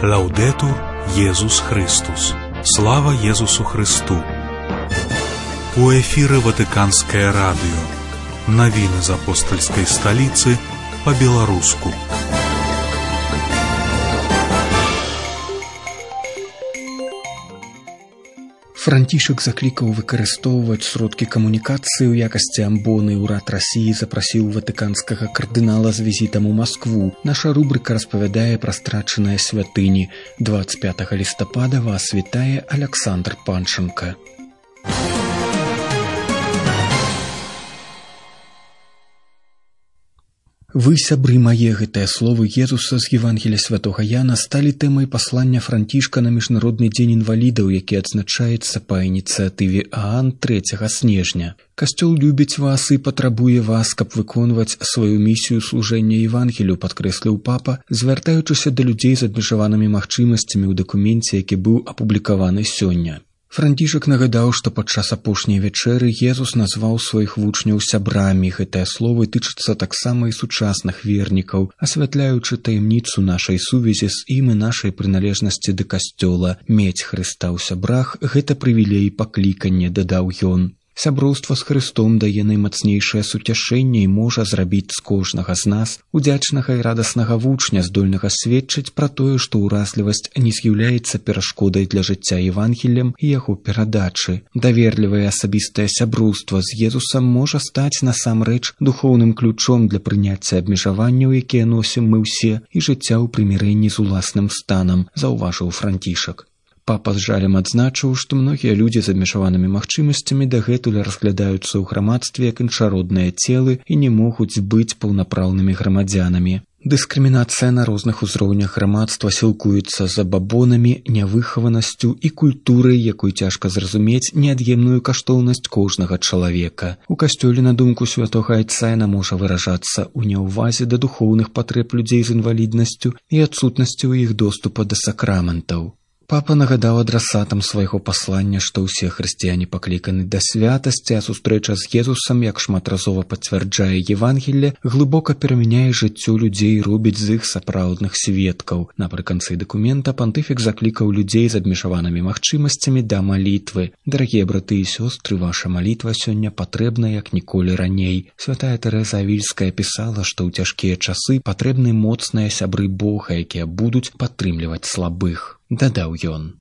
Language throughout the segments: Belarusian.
Лаўдэтур Езус Христус. Слава Езусу Христу. У эфіры Ватыканскае радыё. Навіны з апостальскай сталіцы па-беларуску. Францішак заклікаў выкарыстоўваць сродкі камунікацыі ў якасці амбоны. Урад Расіі запрасіў ватыканскага кардынала з візітам у Маскву. Наша рубрыка распавядае пра страчаныя святыні. 25 лістапада вас вітае Аляксандр Панченка. Вы, сябры мае, гэтыя словы Езуса з Евангелія святога Яна сталі тэмай паслання Францішка на Міжнародны дзень інвалідаў, які адзначаецца па ініцыятыве ААН 3 снежня. Касцёл любіць вас і патрабуе вас, каб выконваць сваю місію служэння Евангелію, падкрэсліў папа, звяртаючыся да людзей з абмежаванымі магчымасцямі ў дакуменце, які быў апублікаваны сёння. Францішак нагадаў, што падчас апошняй вячэры Езус назваў сваіх вучняў сябрамі. Гэтыя словы тычацца таксама і сучасных вернікаў, асвятляючы таямніцу нашай сувязі з ім і нашай прыналежнасці да касцёла. Мець Хрыста ў сябрах – гэта прывілей паклікання, дадаў ён. Сяброўства з Христом дае наймацнейшае суцяшэнне і можа зрабіць з кожнага з нас удзячнага і радаснага вучня, здольнага сведчыць пра тое, што ўразлівасць не з'яўляецца перашкодай для жыцця Евангеллем і яго перадачы. Даверлівае асабістае сяброўства з Езусам можа стаць насамрэч духоўным ключом для прыняцця абмежаванняў, якія носім мы ўсе, і жыцця ў прымірэнні з уласным станам, заўважыў Францішак. Папа з жалем адзначыў, што многія людзі з абмежаванымі магчымасцямі дагэтуль разглядаюцца ў грамадстве як іншародныя целы і не могуць быць паўнапраўнымі грамадзянамі. Дыскрымінацыя на розных узроўнях грамадства сілкуецца забабонамі, нявыхаванасцю і культурай, якой цяжка зразумець неад'емную каштоўнасць кожнага чалавека. У касцёле, на думку святога Айца, яна можа выражацца ў няўвазе да духоўных патрэб людзей з інваліднасцю і адсутнасці ў іх доступа да сакраментаў. Папа нагадаў адрасатам свайго паслання, што ўсе хрысціяне пакліканы да святасці, а сустрэча з Езусам, як шматразова пацвярджае Евангелле, глыбока перамяняе жыццё людзей і робіць з іх сапраўдных сведкаў. Напрыканцы дакумента пантыфік заклікаў людзей з абмежаванымі магчымасцямі да малітвы. Дарагія браты і сёстры, ваша малітва сёння патрэбна як ніколі раней. Святая Тэрэза Авільская пісала, што ў цяжкія часы патрэбны моцныя сябры Бога, якія будуць падтрымліваць слабых. Дадаў ён.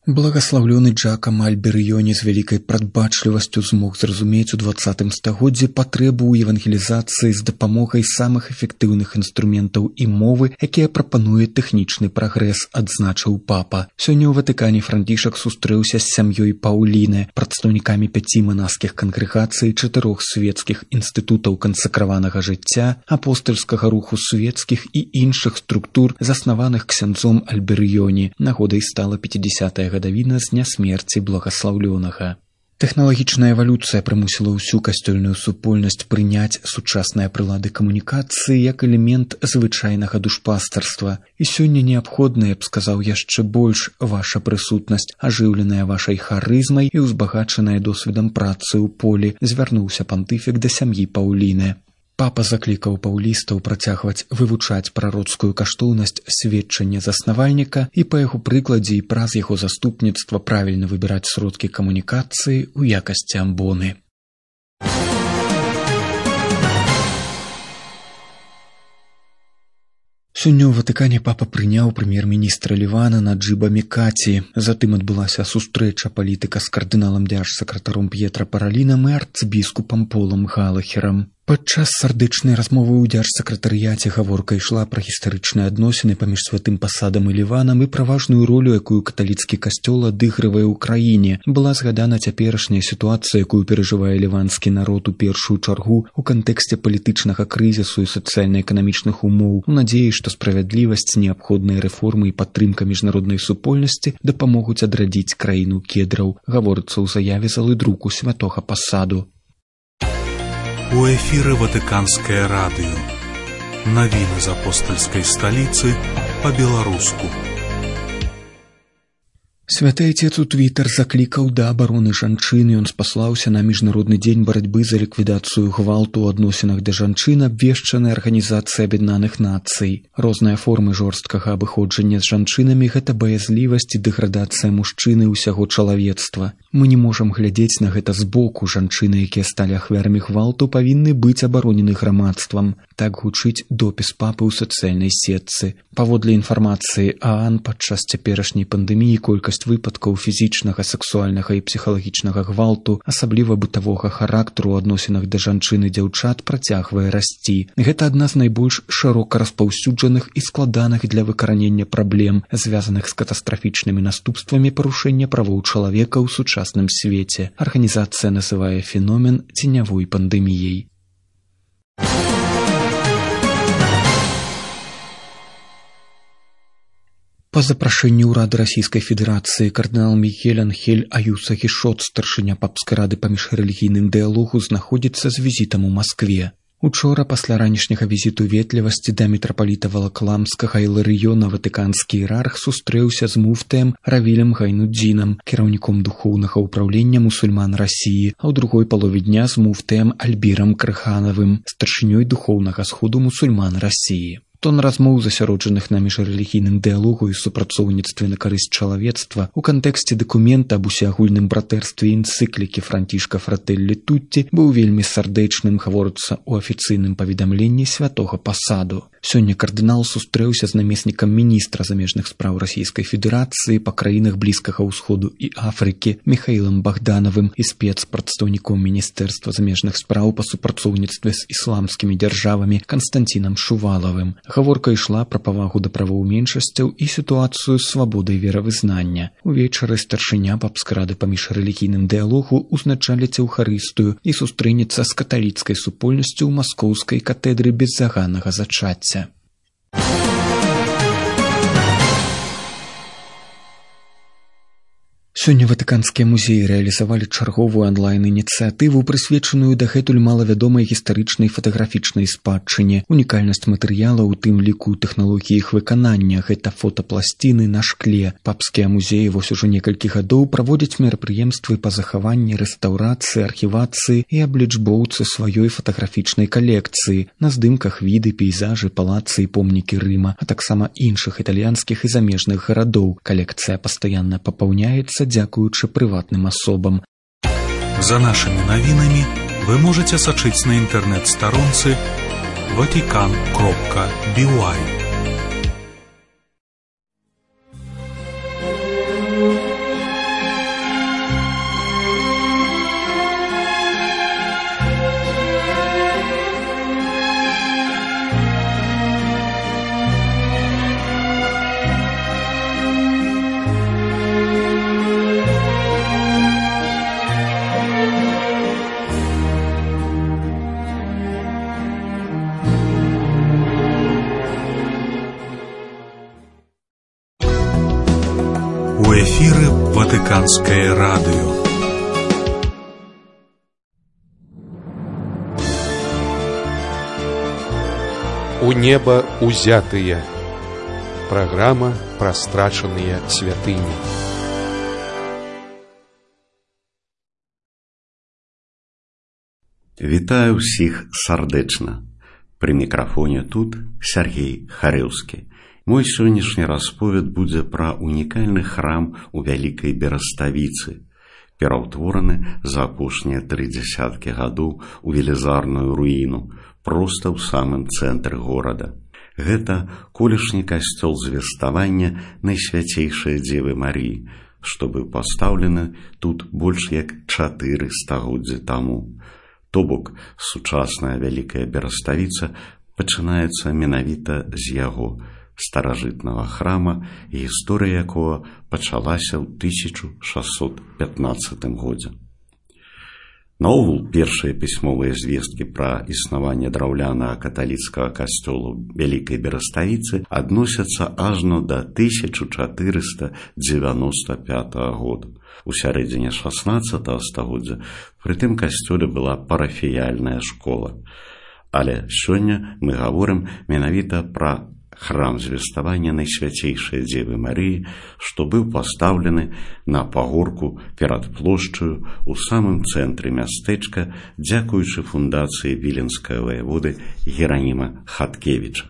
Благаслаўлёны Джакам Альберыёне з вялікай прадбачлівасцю змог зразумець у 20 стагоддзі патрэбу ў евангелізацыі з дапамогай самых эфектыўных інструментаў і мовы, якія прапануе тэхнічны прагрэс, адзначыў папа. Сёння ў Ватыкане Францішак сустрэўся з сям'ёй Паўліны, прадстаўнікамі 5 манаскіх кангрэгацый, 4 свецкіх інстытутаў кансакраванага жыцця, апостальскага руху свецкіх і іншых структур, заснаваных ксяндзом Альберыёне. Нагодай стала 50-я гадавіна з дня смерці благаслаўлёнага. Тэхналагічная эвалюцыя прымусіла ўсю касцёльную супольнасць прыняць сучасныя прылады камунікацыі як элемент звычайнага душпастарства. І сёння неабходна, я б сказаў, яшчэ больш ваша прысутнасць, ажыўленая вашай харызмай і ўзбагачаная досведам працы ў полі, звярнуўся пантыфік да сям'і Паўліны. Папа заклікаў паўлістаў працягваць вывучаць прароцкую каштоўнасць сведчання заснавальніка і па яго прыкладзе і праз яго заступніцтва правільна выбіраць сродкі камунікацыі ў якасці амбоны. Сёння ў Ватыкане папа прыняў прэм'ер-міністра Лівана Наджыба Мікаці. Затым адбылася сустрэча палітыка з кардыналам дзяржсакратаром П'етра Паралінам і арцбіскупам Полам Галахерам. Падчас сардычнай размовы ў дзяржсакратарыяце гаворка ішла пра гістарычныя адносіны паміж святым пасадам і Ліванам і пра важную ролю, якую каталіцкі касцёл адыгрывае ў краіне. Была згадана цяперашняя сітуацыя, якую перажывае ліванскі народ у першую чаргу ў кантэксце палітычнага крызісу і сацыяльна-эканамічных умоў, у надзеі, што справядлівасць, неабходныя рэформы і падтрымка міжнароднай супольнасці дапамогуць адрадзіць краіну кедраў, гаворыцца ў заяве залы друку святога пасаду. У эфіры Ватыканскае радыё. Навіны з апостальскай сталіцы па-беларуску. Святы Отец у Твиттер заклікаў да абароны жанчын, ён спаслаўся на міжнародны дзень барацьбы за ліквідацыю гвалту ў адносінах да жанчын, абвешчанай Арганізацыяй Аб'яднаных Нацый. Розныя формы жорсткага абыходжання з жанчынамі – гэта баязлівасць і дэградацыя мужчыны і ўсяго чалавецтва. Мы не можам глядзець на гэта збоку. Жанчыны, якія сталі ахвярамі гвалту, павінны быць абаронены грамадствам. Так гучыць допіс папы ў сацыяльнай сетцы. Паводле інфармацыі ААН, падчас цяперашняй пандэміі колькасць выпадкаў фізічнага, сексуальнага і псіхалагічнага гвалту, асабліва бытавога характару ў адносінах да жанчын і дзяўчат, працягвае расці. Гэта адна з найбольш шырока распаўсюджаных і складаных для выкаранення праблем, звязаных з катастрафічнымі наступствамі парушэння правоў чалавека ў сучасным свеце. Арганізацыя называе феномен ценявой пандэміяй. Па запрашэнні ўрада Расійскай Федэрацыі кардынал Мігель Анхель Аюса Гішот, старшыня папскай рады па міжрэлігійным дыялогу, знаходзіцца з візітам у Маскве. Учора, пасля ранішняга візіту ветлівасці да мітрапаліта Валакламскага Іларыёна, ватыканскі іерарх сустрэўся з муфтыем Равілем Гайнудзінам, кіраўніком духоўнага ўпраўлення мусульман Расіі, а ў другой палове дня з муфтыем Альбірам Крыханавым, старшынёй духоўнага сходу мусульман Расіі. Тон размоў, засяроджаных на міжрэлігійным дыялогу і супрацоўніцтве на карысць чалавецтва ў кантэксце дакумента аб усеагульным братэрстве энцыклікі Францішка Фратэллі Тутці быў вельмі сардэчным, гаворыцца ў афіцыйным паведамленні святога пасаду. Сёння кардынал сустрэўся з намеснікам міністра замежных спраў Расійскай Федэрацыі па краінах Блізкага ўсходу і Афрыкі Міхаілам Богданавым і спецпрадстаўніком Міністэрства замежных спраў па супрацоўніцтве з ісламскімі дзяржавамі Канстантінам Шувалавым. Гаворка ішла пра павагу да правоў меншасцяў і сітуацыю з свабодай веравызнання. Увечары старшыня папскай рады па міжрэлігійным дыялогу узначаліць Еўхарыстыю і сустрэнецца з каталіцкай супольнасцю ў маскоўскай катедры беззаганнага зачацця. Сёння ватыканскія музеі рэалізавалі чарговую онлайн-ініцыятыву, прысвечаную дагэтуль малавядомай гістарычнай фатаграфічнай спадчыне. Унікальнасць матэрыяла, у тым ліку тэхналогіі іх выканання, гэта фотапласціны на шкле. Папскія музеі вось ужо некалькі гадоў праводзяць мерапрыемствы па захаванні, рэстаўрацыі, архівацыі і аблічбоўцы сваёй фатаграфічнай калекцыі. На здымках віды, пейзажы, палацы і помнікі Рыма, а таксама іншых італьянскіх і замежных гарадоў. Калекцыя пастаянна папаўняецца дзякуючы прыватным асобам. За нашими навінамі вы можете сачыць на інтэрнэт-старонцы vatican.by. У эфіры Ватыканскае радыё. У неба узятыя. Праграма пра страчаныя святыні. Вітаю ўсіх сардэчна. Пры мікрафоне тут Сергей Харэўскі. Мой сённяшні расповед будзе пра унікальны храм у Вялікай Бераставіцы, пераўтвораны за апошнія 30 гадоў у велізарную руіну, проста ў самым цэнтры горада. Гэта колішні касцёл звеставання Найсвяцейшай Дзевы Марыі, што быў пастаўлены тут больш як 4 стагоддзі таму. То бок, сучасная Вялікая Бераставіца пачынаецца менавіта з яго, старажытнага храма, гісторыя якога пачалася ў 1615 годзе. Наогул, першыя пісьмовыя звесткі пра існаванне драўлянага каталіцкага касцёла Вялікай Бераставіцы адносяцца ажно да 1495 года. У сярэдзіне 16 стагоддзя пры тым касцёле была парафіяльная школа. Але сёння мы гаворым менавіта пра храм звеставання Найсвяцейшай Дзевы Марыі, што быў пастаўлены на пагорку перад плошчаю у самым цэнтры мястэчка, дзякуючы фундацыі віленскага ваяводы Гераніма Хаткевіча.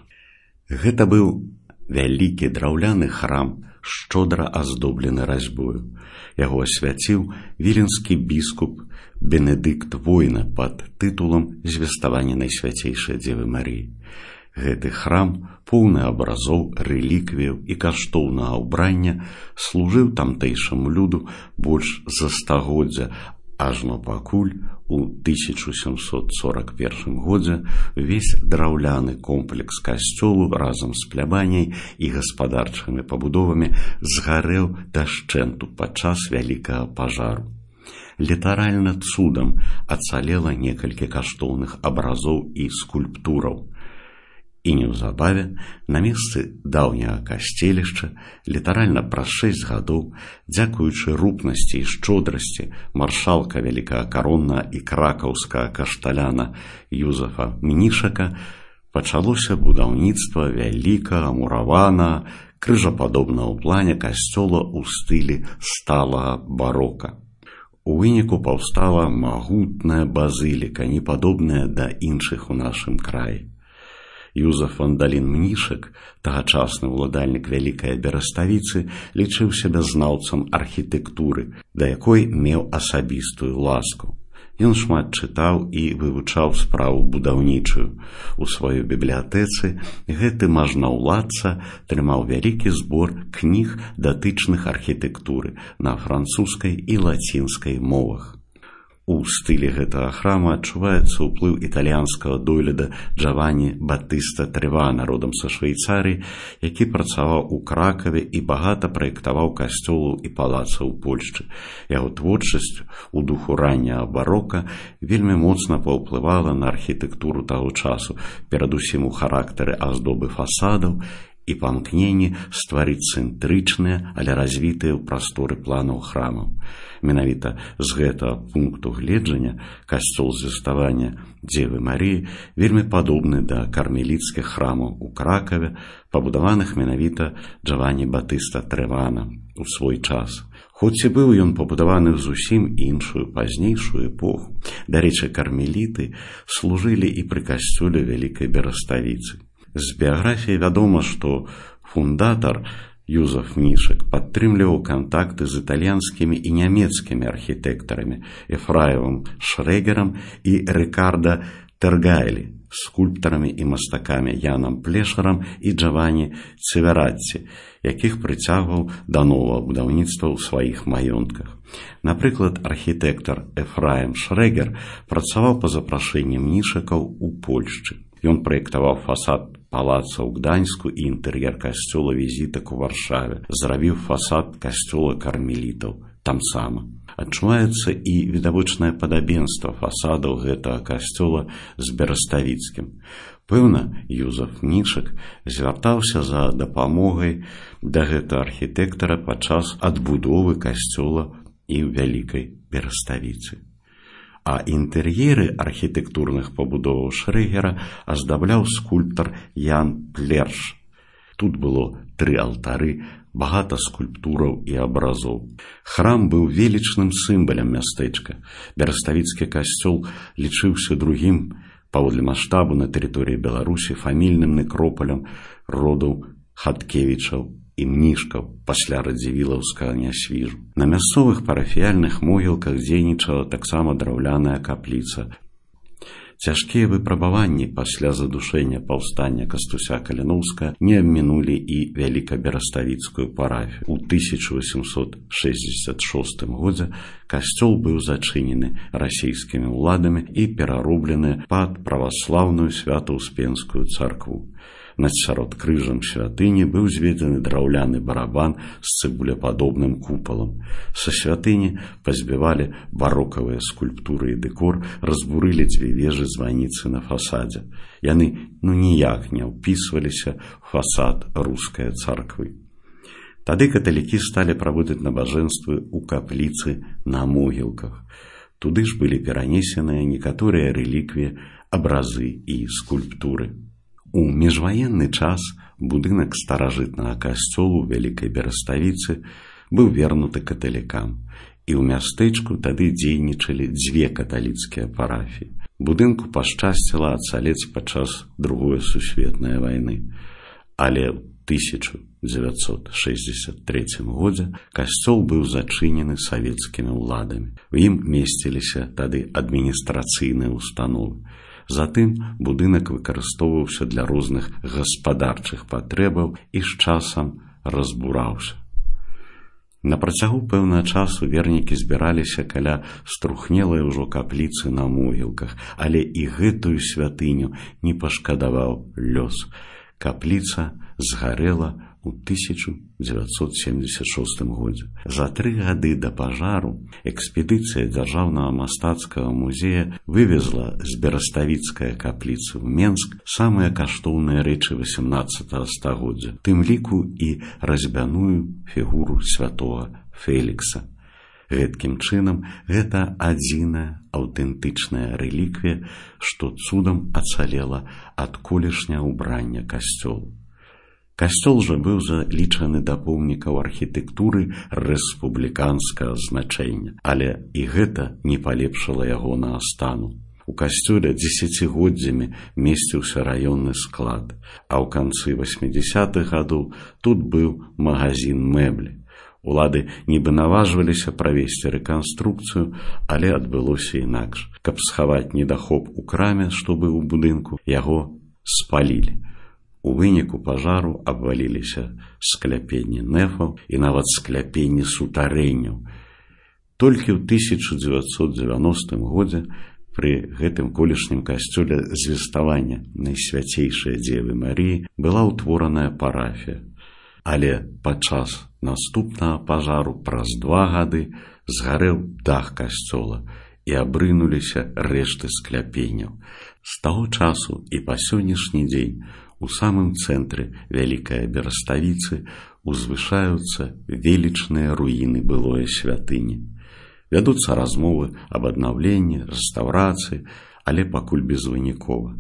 Гэта быў вялікі драўляны храм, шчодра аздоблены разьбою. Яго асвяціў віленскі біскуп Бенедыкт Война пад тытулам «Звеставанне Найсвяцейшай Дзевы Марыі». Гэты храм, поўны абразоў, рэліквіяў і каштоўнага ўбрання, служыў тамтэйшаму люду больш за стагоддзя, ажно пакуль у 1741 годзе увесь драўляны комплекс касцёлу разам з плябаняй і гаспадарчымі пабудовамі згарэў дашчэнту падчас вялікага пажару. Літаральна цудам ацалела некалькі каштоўных абразоў і скульптураў. І неўзабаве на месцы даўняга касцелішча літаральна праз 6 гадоў, дзякуючы рупнасці і шчодрасці маршалка вялікага кароннага і кракаўскага кашталяна Юзафа Мнішака, пачалося будаўніцтва вялікага мураванага крыжападобнага ў плане касцёла ў стылі сталага барока. У выніку паўстала магутная базыліка, не падобная да іншых у нашым краі. Юзаф Вандалін Мнішак, тагачасны ўладальнік вялікай Бераставіцы, лічыў сябе знаўцам архітэктуры, да якой меў асабістую ласку. Ён шмат чытаў і вывучаў справу будаўнічую. У сваёй бібліятэцы гэты мажнаўладца трымаў вялікі збор кніг, датычных архітэктуры на французскай і лацінскай мовах. У стылі гэтага храма адчуваецца ўплыў італьянскага дойліда Джаванні Баттыста Тревана, родам са Швейцарыі, які працаваў у Кракаве і багата праектаваў касцёлаў і палацаў у Польшчы. Яго творчасць у духу ранняга барока вельмі моцна паўплывала на архітэктуру таго часу, перадусім у характары аздобы фасадаў і памкненні стварыць цэнтрычныя, але развітыя ў прасторы планаў храмаў. Менавіта з гэтага пункту гледжання касцёл звеставання Дзевы Марыі вельмі падобны да кармеліцкіх храмаў у Кракаве, пабудаваных менавіта Джаванні Баттыста Тревана у свой час. Хоць і быў ён пабудаваны ў зусім іншую пазнейшую эпоху. Дарэчы, кармеліты служылі і пры касцёле вялікай Бераставіцы. З біяграфіі вядома, што фундатар Юзаф Мнішак падтрымліваў кантакты з італьянскімі і нямецкімі архітэктарамі Ефраевым Шрэгерам і Рикардо Тергайлі, скульптарамі і мастакамі Янам Плешарам і Джаванні Цевератці, якіх прыцягваў да новага будаўніцтва ў сваіх маёнтках. Напрыклад, архітэктар Ефраем Шрэгер працаваў па запрашэнні Мнішакаў у Польшчы. Ён праектаваў фасад палаца ў Гданьску і інтэр'ер касцёла Візітак у Варшаве, зрабіў фасад касцёла кармелітаў тамсама. Адчуваецца і відавочнае падабенства фасадаў гэтага касцёла з бераставіцкім. Пэўна, Юзаф Мнішак звяртаўся за дапамогай да гэтага архітэктара падчас адбудовы касцёла і ў вялікай Бераставіцы. А інтэр'еры архітэктурных пабудоваў Шрэгера аздабляў скульптар Ян Плерш. Тут было 3 алтары, багата скульптураў і абразоў. Храм быў велічным сімвалам мястэчка. Бераставіцкі касцёл лічыўся другім паводле маштабу на тэрыторыі Беларусі фамільным некропалем родаў Хаткевічаў і Мнішкаў пасля радзівілаўскага нясвіжу. На мясцовых парафіяльных могілках дзейнічала таксама драўляная капліца. Цяжкія выпрабаванні пасля задушэння паўстання Кастуся Каліноўскага не абмінулі і вялікабераставіцкую парафію. У 1866 годзе касцёл быў зачынены расійскімі ўладамі і перароблены пад праваслаўную свята-успенскую царкву. Над сяродкрыжжам святыні быў зведзены драўляны барабан з цыбулепадобным купалам. Са святыні пазбівалі барокавыя скульптуры і дэкор, разбурылі 2 вежы званіцы на фасадзе. Яны ніяк не ўпісваліся ў фасад рускай царквы. Тады каталікі сталі праводзіць набажэнствы ў капліцы на могілках. Туды ж былі перанесеныя некаторыя рэліквіі, абразы і скульптуры. У міжваенны час будынак старажытнага касцёлу Вялікай Бераставіцы быў вернуты каталікам, і ў мястэчку тады дзейнічалі 2 каталіцкія парафіі. Будынку пашчасціла ацалець падчас Другой сусветнай вайны, але ў 1963 годзе касцёл быў зачынены савецкімі ўладамі. У ім месціліся тады адміністрацыйныя установы. Затым будынак выкарыстоўваўся для розных гаспадарчых патрэбаў і з часам разбураўся. На працягу пэўнага часу вернікі збіраліся каля струхнелай ужо капліцы на могілках, але і гэтую святыню не пашкадаваў лёс. Капліца згарэла ў 1976 годзе. За 3 гады да пажару экспедыцыя Дзяржаўнага мастацкага музея вывезла з Бераставіцкай капліцы ў Менск самыя каштоўныя рэчы 18 стагоддзя, тым ліку і разьбяную фігуру святога Фелікса. Гэткім чынам, гэта адзіная аўтэнтычная рэліквія, што цудам ацалела ад колішняга ўбрання касцёлу. Касцёл жа быў залічаны да помнікаў архітэктуры рэспубліканскага значэння, але і гэта не палепшыла ягонага стану. У касцёле дзесяцігоддзямі месціўся раённы склад, а ў канцы 80-х гадоў тут быў магазін мэблі. Улады нібы наважваліся правесці рэканструкцыю, але адбылося інакш. Каб схаваць недахоп у краме, што быў у будынку, яго спалілі. У выніку пажару абваліліся скляпенні нефаў і нават скляпенні сутарэнняў. Толькі ў 1990 годзе пры гэтым колішнім касцёле звеставання Найсвяцейшай Дзевы Маріі была ўтвораная парафія. Але падчас наступнага пажару праз 2 гады згарэў дах касцёла і абрынуліся рэшты скляпенняў. З таго часу і па сённяшні дзень у самым цэнтры Вялікай Бераставіцы узвышаюцца велічныя руіны былой святыні. Вядуцца размовы аб аднаўленні, рэстаўрацыі, але пакуль безвынікова.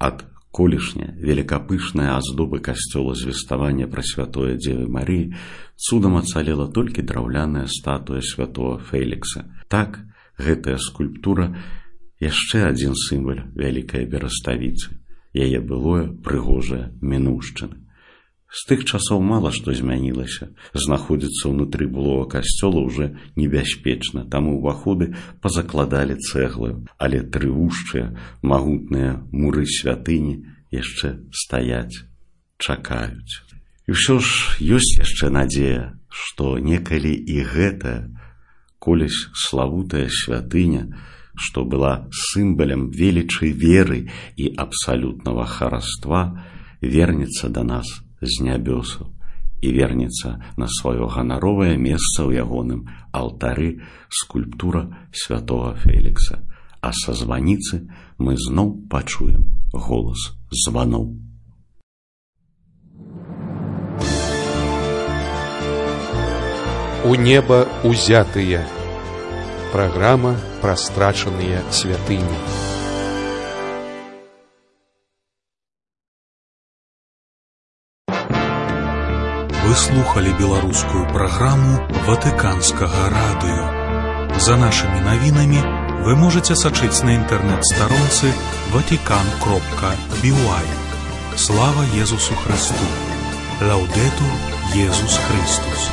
Ад колішняй велікапышнай аздобы касцёла звеставання Прасвятое Дзевы Маріі цудам ацалела толькі драўляная статуя святого Фелікса. Так, гэтая скульптура яшчэ адзін сімвал Вялікай Бераставіцы. Яе былое прыгожае мінуўшчыны. З тых часоў мала што змянілася. Знаходзіцца ўнутры былога касцёла ўжо небяспечна, таму ўваходы пазакладалі цэглаю, але трывушчыя, магутныя муры святыні яшчэ стаяць, чакаюць. І ўсё ж ёсць яшчэ надзея, што некалі і гэтая, колісь славутая святыня, што была сімвалам велічы веры і абсалютнага хараства, вернецца да нас з нябёсаў і вернецца на сваё ганаровае месца ў ягоным алтары скульптура святого Фелікса. А са званіцы мы зноў пачуем голас званоў. У неба узятыя. Праграма пра страчаныя святыні. Вы слухали беларускую праграму Ватыканскага радыё. За нашымі навінамі вы можаце сачыць на інтэрнэт-старонцы vatican.by. Слава Езусу Христу! Лаўдэтур Езус Христус!